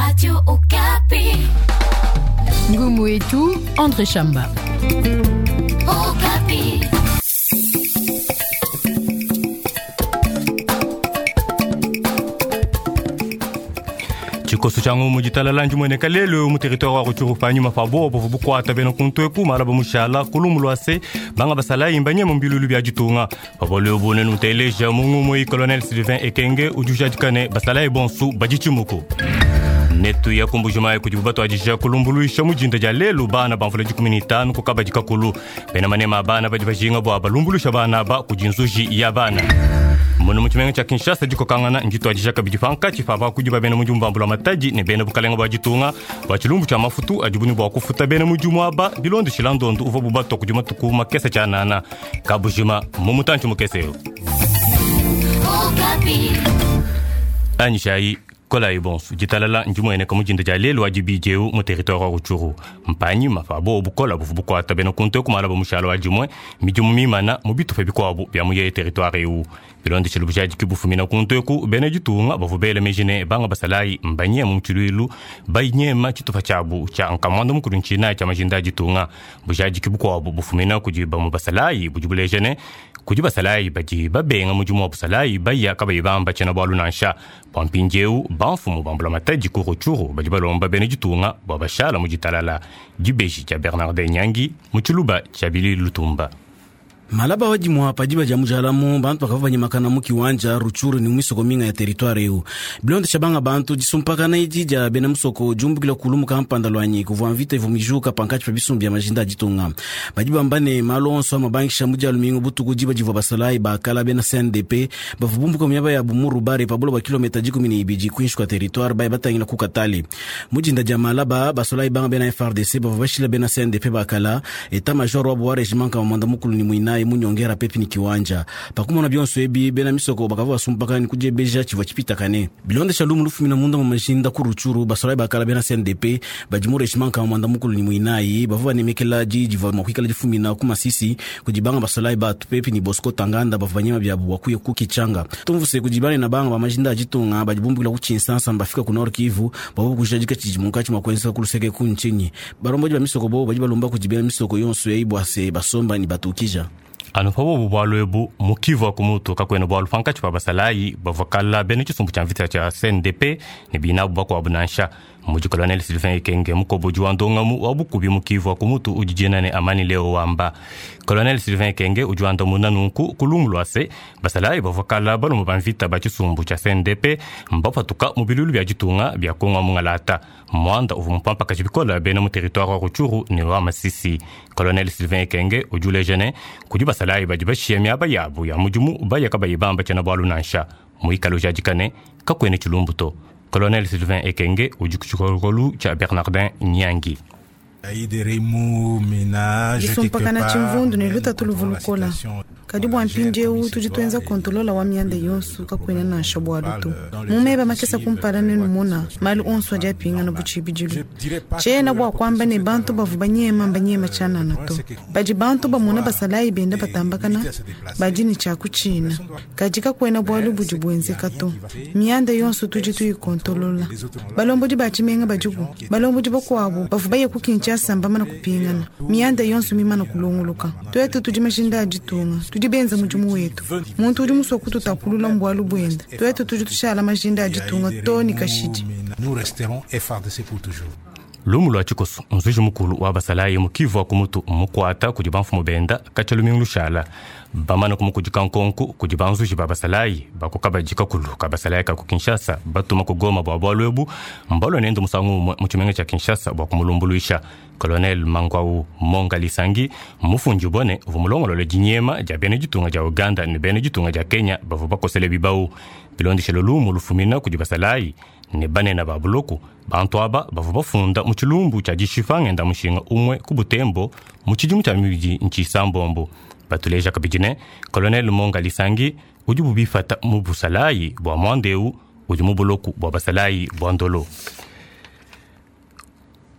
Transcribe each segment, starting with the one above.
Radio Okapi. Ngumu wetu André Chamba. Okapi. Tshikoso tshia ngumu ditalala ndimueneka lelu mu territoire wa Rutshuru panyima pa bobo buvua bukuata bena kuntu eku malaba mushala ku lumu lua se banga basalayi mbanyema mbilulu bia ditunga. Pa bualu ebu nenuteleja mu ngumu eyi Colonel Sylvain Ekenge udi ujadika ne basalayi bonsu badi tshimuku. Netu ya ku Mbujimayi kudibu batuadija kulumbuluisha mu dinda dia lelu bana ba mvula 15 ku kabadi kakulu. Bena manema a bana badi bajinga bua balumbuluisha bana aba kudi nzuji ya bana. Munu mu tshimenga tshia Kinshasa dikokangana ndituadija kabidi pankatshi pa bakudi ba bena mudimu ba mbula matadi ne bena bukalenga bua ditunga bua tshilumbu tshia mafutu adibu ne bua kufuta bena mudimu aba bilondeshila ndondu uvuabu batua kudi matuku makese tshianana. Kabujima mu mutantshi mukese eu. Okapi. Anyishayi kolayi bonso ditalala ndimueneka mu dinda dia lelu wa dibidi eu mu territoire wa Rutshuru. Mpanyima pa bobu bukola buvua bukuata bena kuntu eku malaba mushala wa dimue midimu mimana mu bitupa bikuabu bia mu yeye territoire eu. Bilondeshile bujadiki bufumina kuntu eku bena ditunga bavua bela meji ne banga basalayi mbanyema mu tshiluilu banyema tshitupa tshiabu tshia nkamuanda mukulu ntshinayi tshia majinda a ditunga. Bujadiki bukuabu bufumina kudi bamue basalayi budi buleja ne kudi basalayi badi babenga mudimu wa busalayi baya kabayi bamba tshiena bualu nansha. Bua mpindieu bamfumu ba mbulamatadi ku Rutshuru badi balomba bena ditunga bua bashala mu ditalala. Dibeji dia Bernardin Nyangi mu tshiluba tshia Billy Lutumba. Malaba wa dimua pa diba dia mujalamu bantu bakavua banyemakana mu kiwanja Rutshuru ne mu misoko minga ya territoire eu. Bilondesha banga bantu disumpakana edi dia bena musoko diumbukila kulu mu kampanda luanyi kuvua mvita ivua mijuka pankatshi pa bisumbu bia majinda a ditunga. Badi bamba ne malu onso amabangisha mu dia lumingu butuku diba divua basalayi bakala bena CNDP bavua bumbuka mu miaba yabu mu Rubare pa buloba kilometa 12 kuinshi kua territoire baye batangila ku Katale. Mu dinda dia malaba basalayi banga bena FARDC bavua bashila bena CNDP bakala état major wabu wa regiment kama mwanda mukulu ni muinayi munyongera pepi ni kiwanja. Pakumona bionso ebi bena misoko bakavua basumpakana ni kudiebeja tshivua tshipitakane. Bilondesha lumu lufumina munda mu majinda ku Rutshuru basalayi bakala bena CNDP badi mu regiment kama mwanda mukulu ni muinayi bavua banemekela di divua mua kuikala difumina ku Masisi kudi banga basalayi batu pepi ni Bosco Tanganda bavua banyema biabu bua kuya ku Kichanga. Tumvuse kudi bana na banga ba majinda a ditunga badi bumbukila ku Tshinsansa mbafika ku Nord Kivu bavua kujadika tshidi munkatshi mua kuenzeka ku luseke ku ntshinyi. Balombodi ba misoko bo badi balomba kudi bena misoko yonso eyi bua se basomba ni batukija. Anu pa bobu bualu ebu mu Kivu wa ku mutu kakuena bualu pankatshi pa basalayi bavua kala bena tshisumbu tshia mvita tshia CNDP ne binabu bakuabu nansha. Mudi Colonel Sylvain Ekenge mukobodi wa ndongamu wa bukubi mu Kivu wa ku mutu udi dina ne Amani Leo wamba. Colonel Sylvain Ekenge udi wandamuna nunku ku lumu lua se basalayi bavua kala balume ba mvita ba tshisumbu tshia CNDP mbapatuka mu bilulu bia ditunga bia Kongo Mungalata. Mwanda uvua mupampakaji bikole bena mu territoire wa Rutshuru ne wa Masisi. Colonel Sylvain Ekenge udi uleja ne kudi basalayi badi bashiya miaba yabu ya mudimu baya kabayi bamba tshiena bualu nansha. Muikale ujadika ne kakuena tshilumbu to. Colonel Sylvain Ekenge udi ku tshikolokolu tshia Bernardin Nyangi. Disumpakana tshimvundu ne lutatu luvua lukola. Kadi bua mpindieu tudi tuenza kontolola wa mianda yonso kakuena nansha bualu to. Mu meba makese kumpala nenumona malu onso adi apingana bu tshibidilu. Tshiena bua kuamba ne bantu bavua banyema mbanyema tshianana to. Badi bantu bamona basalayi benda batambakana badi ne tshia kutshina. Kadi kakuena bualu budi buenzeka to. Mianda yonso tudi tuyikontolola. Balombodi ba tshimenga badiku, balombodi bakuabu bavua baye ku Kinshasa mbamana kupingana. Mianda yonso mimana kulongoloka. Tuetu tudi majinda a ditunga, tudi benza mudimu wetu. Muntu udi musue kututapulula mu bualu buenda. Tuetu tudi tushala majinda a ditunga to ne kashidi. Nous resterons FARDC pour toujours. Lumu lua tshikoso nzuji mukulu wa basalayi mu Kivu wa ku mutu mukuata kudi bamfumu benda katshia lumingu lushala. Bamana kumukudika nkonku kudi banzuji ba basalayi bakukabadi kakulu ka basalayi ka ku Kinshasa batuma ku Goma bua bualu ebu mbalua nende musangu umue mu tshimenga tshia Kinshasa bua kumulumbuluisha. Colonel Mangwau Monga Lisangi mufundi bone uvua mulongolole dinyema dia bena ditunga dia Uganda ne bena ditunga dia Kenya bavua bakosele bibau. Bilondeshele lumu lufumina kudi basalayi ne banene ba buloku bantu aba bavua bafunda mu tshilumbu tshia dishipa ngenda mushinga umue ku Butembo mu tshidimu tshia mibidi ntshisambombo. Batuleja kabidi ne Colonel Monga Lisangi udi bubifata mu busalayi bua muanda eu udi mu buloku bua basalayi bua Ndolo.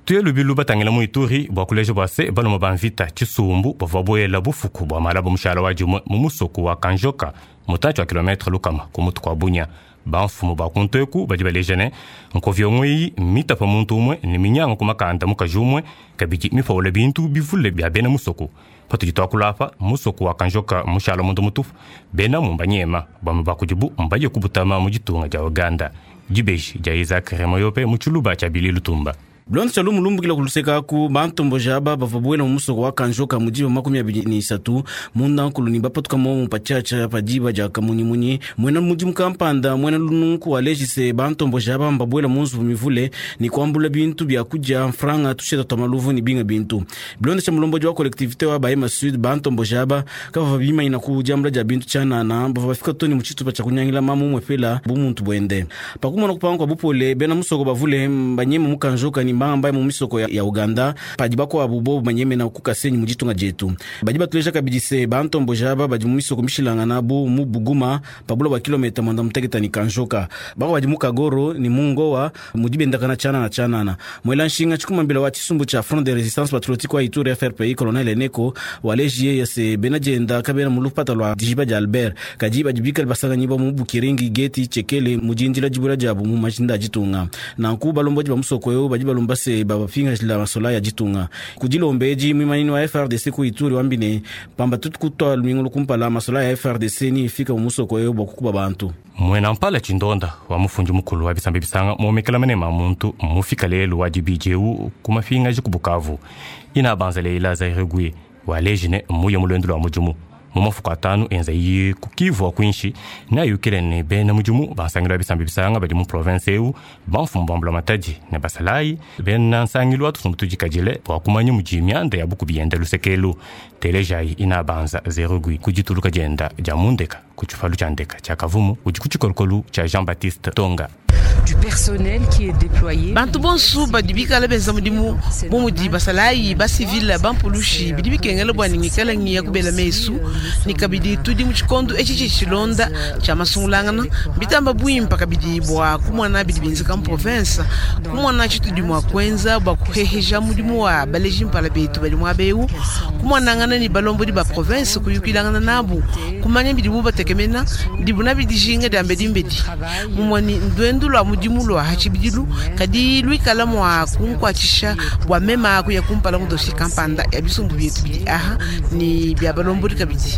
Tuye lubilu batangila mu Ituri bua kuleja bua se balume ba mvita tshisumbu bavua buela bufuku bua malaba mushala wa dimue mu musoko wa Kanjoka mutantshi wa kilometre lukama ku mutu kua Bunia. Bamfumu ba kuntu eku badi baleja ne, nkoviongo eyi mmitapa muntu umue ne minyanga ku makanda mukaji umue, kabidi mipawula bintu bivule bia bena musoko. Patudi tuakula apa, musoko wa Kanjoka mmushala munda mutupu, benamu mbanyema, bamue ba kudibu mbaye kubutama mu ditunga dia Ouganda. Dibeji dia Isaac Remoyope mu tshiluba tshia Billy Lutumba. Bilonda tshia lumu lumbukila ku luseke aku, bantomboji aba bavua buela mu musoko wa Kanjoka mu diba 23 munda nkulu ne bapatuka momu patshiatshia pa diba dia kamunyimunyi. Muena mudimu kampanda muena lununku waleji se, bantomboji aba mbabuela mu nzubu mivule ne kuambula bintu bia kudia, mfranga, tusheta tua maluvu ne binga bintu. Bilonda tshia mulombodi wa collectivite wa Bahema Sud, bantomboji aba kabavua bimanyina ku diambula dia bintu tshianana, bavua bafika too ne mu tshitupa tshia kunyangila mamu umuepela bumuntu buende. Pa kumona kupanga kua bupole, bena musoko bavule mbanyeme mu Kanjoka ne mbangamba mu misoko ya Ouganda, padi bakuabu bobu banyemena ku Kasenyi mu ditunga dietu. Badi batuleja kabidi se, bantomboji aba badi mu misoko mishilangana bu mu Buguma, pa bula bua kilometa 90 ne Kanjoka. Bakuabu badi mu Kagoro ne mu Ngoa mudi bendakana tshianana tshianana. Muela nshinga tshikumambila wa tshisumbu tshia Front de Resistance Patriotique wa Ituri, FRPI, Colonel Eneko waleji yeye se bena dienda kabena mu lupata lua dijiba dia Albert, kadi badi bikale basanganyibua mu Bukiringi, Geti, Tshekele mu dindila dibuela diabu mu majinda a ditunga. Nanku balombodi ba musoko eu badi balomba se babapingajila masolayi a ditunga. Ku dilomba edi, muimanyinyi wa FARDC ku Ituri wambi ne, pamba tutu kutua lumingu lukumpala, masolayi a FARDC ni ifika mu musoko eu bua kukuba bantu. Muena mpala tshindonda wa mufundi mukulu wa bisamba bisanga muomekela manema a muntu mmufika lelu wa dibidi eu ku mapingaji ku Bukavu. Ina banza Leila Zaireguie waleji ne mmuye mu luendu lua mudimu mu mafuku atanu enza iye ku Kivu wa kuinshi ne ayukile ne bena mudimu ba nsangilu wa bisamba bisanga badi mu province eu, bamfumu ba mbulamatadi ne basalayi bena nsangilu wa tusumbu tudikadile bua kumanya mudi mianda ya bukubi yenda luseke elu. Telejayi Ina Banza Zerugui ku dituluka dienda dia mu ndeka ku tshipalu tshia ndeka tshia Kavumu udi ku tshikolokolu tshia Jean-Baptiste Tonga. Bantu bonsu badi bikala benza mudimu bu mudi basalayi, basivile, bampulushi, bidi bikengela bua ne ngikala ngiya kubela mesu ne kabidi tudi mu tshikondo etshi tshidi tshilonda tshia masungulangana. Mbitamba buimpa kabidi bua kumona bidi bienzeka mu province, kumona tshitudi mua kuenza bua kuheheja mudimu wa baleji mpala betu badi muaba eu, kumonangana ne balombodi ba province, kuyukilangana nabu, kumanya bidibu batekemena, bidibu nabi dijinga dia mbedimbedi. Mumue ne nduendu lua mudimu lua ha tshibidilu, kadi luikala mua kunkuatshisha bua mema kuya kumpala mu dossier kampanda ya bisumbu bietu bidi aha ne bia balombodi kabidi.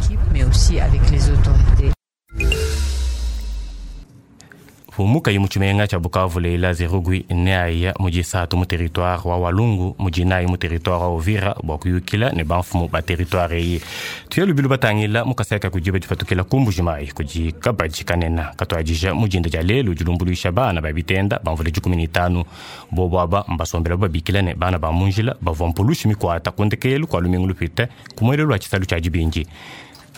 Pumukayi mu tshimenga tshia Bukavu, Leila Zerugui neaya mu disatu mu territoire wa Walungu, mu dinayi mu territoire wa Uvira bua kuyukila ne bamfumu ba territoire eyi. Tuya lubilu batangila mu Kasai ka kudiba dipatukila ku Mbujimayi kudi kabadi kanena katuadija mu dinda dia lelu dilumbuluisha bana ba bitenda ba mvula 15. Bobu aba mbasombela babikila ne bana ba mu njila bavua mpulushi mikuata ku ndekelu kua lumingu lupite ku muelelu wa tshisalu tshia dibindi.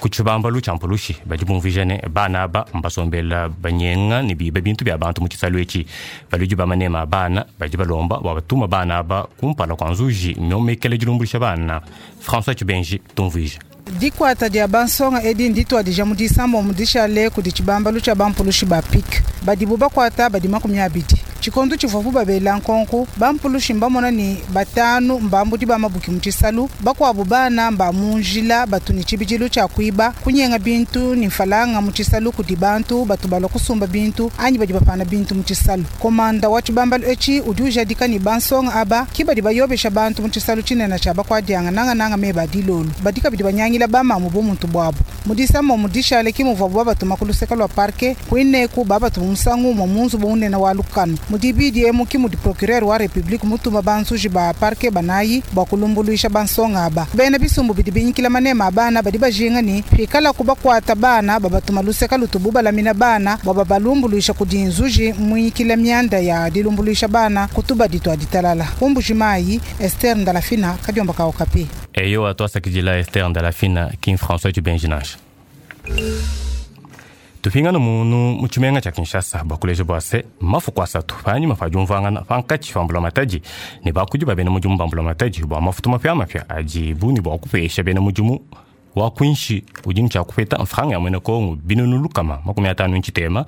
Ku tshibambalu tshia mpulushi badi bumvuija ne bana aba mbasombela banyenga ne biba bintu bia bantu mu tshisalu etshi. Baludi ba manema a bana badi balomba bua batuma bana aba kumpala kua nzuji miomekela dilumbuluisha bana. François Tshibenji tumvuija. Dikuata dia bansonga edi ndituadija mu disambombo dishale kudi tshibambalu tshia bampulushi ba PIC. Badibu bakuata badi 20. Tshikondo tshivuabu babela nkonku, bampulushi mbamona ne batanu mbambudi ba mabuki mu tshisalu, bakuabu bana mba mu njila batu ne tshibidilu tshia kuiba, kunyenga bintu ne mfalanga mu tshisalu kudi bantu batu balua kusumba bintu anyi badi bapana bintu mu tshisalu. Komanda wa tshibambalu etshi udi ujadika ne bansonga aba ki badi bayobesha bantu mu tshisalu tshinene tshia bakuadianga nangananga meba a dilolo. Badi kabidi banyangila bamamu bumuntu buabu. Mu disambombo dishale ki muvuabu babatuma ku luseke lua parquet, kuineku babatuma musangu umue mu nzubu munene wa lukanu. Mu dibidi emu ki mudi procureur wa republique mutuma banzuji ba parquet banayi bua kulumbuluisha bansonga aba. Bena bisumbu bidi binyikila manema a bana badi bajinga ne pikalaku bakuata bana babatuma luseke lutubu balamina bana bua babalumbuluisha kudi nzuji muinyikila mianda ya dilumbuluisha bana ku tubadi tua ditalala. Ku Mbujimayi, Esther Ndalafina, kadiomba ka Okapi. Eyo tuasakidila Esther Ndalafina King François Tshibenji nansha. Tupingana munu mu tshimenga tshia Kinshasa bua kuleja bua se mafuku asatu panyima pa diumvuangana pankatshi pa mbulamatadi ne bakudi ba bena mudimu ba mbulamatadi bua mafutu mapiamapia adibu ne bua kupesha bena mudimu Wa kuinshi udi ne tshia kupeta mfranga ya muena Kongo 350,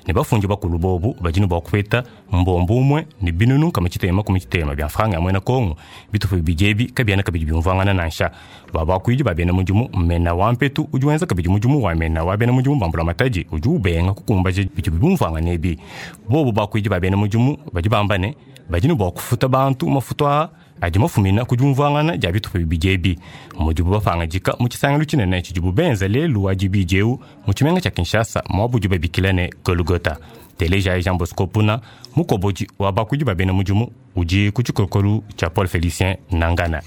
ne bafundi bakulu bobu badi ne bua kupeta mbombo umue ne 660 bia mfranga ya muena Kongo. Bitupa bibidi ebi kabiena kabidi biumvuangana nansha. Bua bakuidi ba bena mudimu, mena wa mpetu udi wenza kabidi mudimu wa mena wa bena mudimu ba mbulamatadi udi ubenga kukumbaja bidi biumvuangana ebi. Bobu bakuidi ba bena mudimu badi bamba ne badi ne bua kufuta bantu mafutu aa adi mafumina ku diumvuangana dia bitupa bibidi ebi, mudibu bapangadika mu tshisangilu tshinene tshidibu benza lelu wa dibidi eu mu tshimenga tshia Kinshasa, muaba udibu babikila ne Golgota. Telejayi Jean Bosco Puna, mukobodi wa bakuidi ba bena mudimu, udi ku tshikolokolu tshia Paul Félicien Nangana.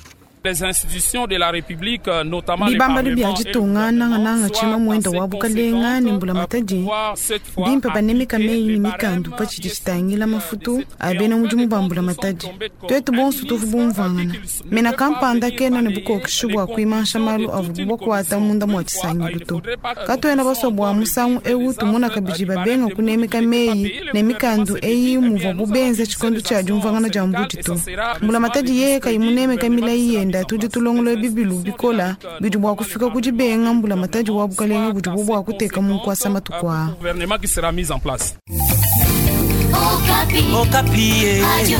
Les institutions de la République, notamment le Bibambalu bia Parlement et le ditunga nangananga gouvernement, tshima soient muenda assez wa bukalenga ne mbulamatadi pouvoir cette fois bimpe banemeka appliquer meyi les ne mikandu barèmes pa tshidi qui est tshitangila sorti, mafutu de cette a bena Et en mudimu fin ba de compte, mbulamatadi nous sommes tombés comme twetu bonso un tuvu ministre bumvuangana a dit qu'il mena ne peut pas kampanda venir kena ne balayer bukokeshi les bua kuimansha conclusions malu de toute avubu une bakuata commission. munda mua Une fois, il tshisangilu ne to faudrait pas que katuena nous basua bua puissions musangu encore ewu revivre tumona les kabidi actes babenga du barème kunemeka de meyi payer le ne mikandu gouvernement eyi s'est dit, eh muvua bien, nous bubenza allons tshikondo fixer tshia des diumvuangana dia actions mbudi syndicales to et ça sera mbulamatadi yeye kayimunemeka milayi yenda mis en tudi place. tulongolola Les bibilu institutions de la bikola République, bidi bua notamment kufika le ku dibenga mbulamatadi wa bukalenga budibu bua kuteka mu nkuasa matuku aa. gouvernement qui sera mis en place. Okapi. Okapi. Radio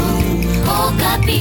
Okapi.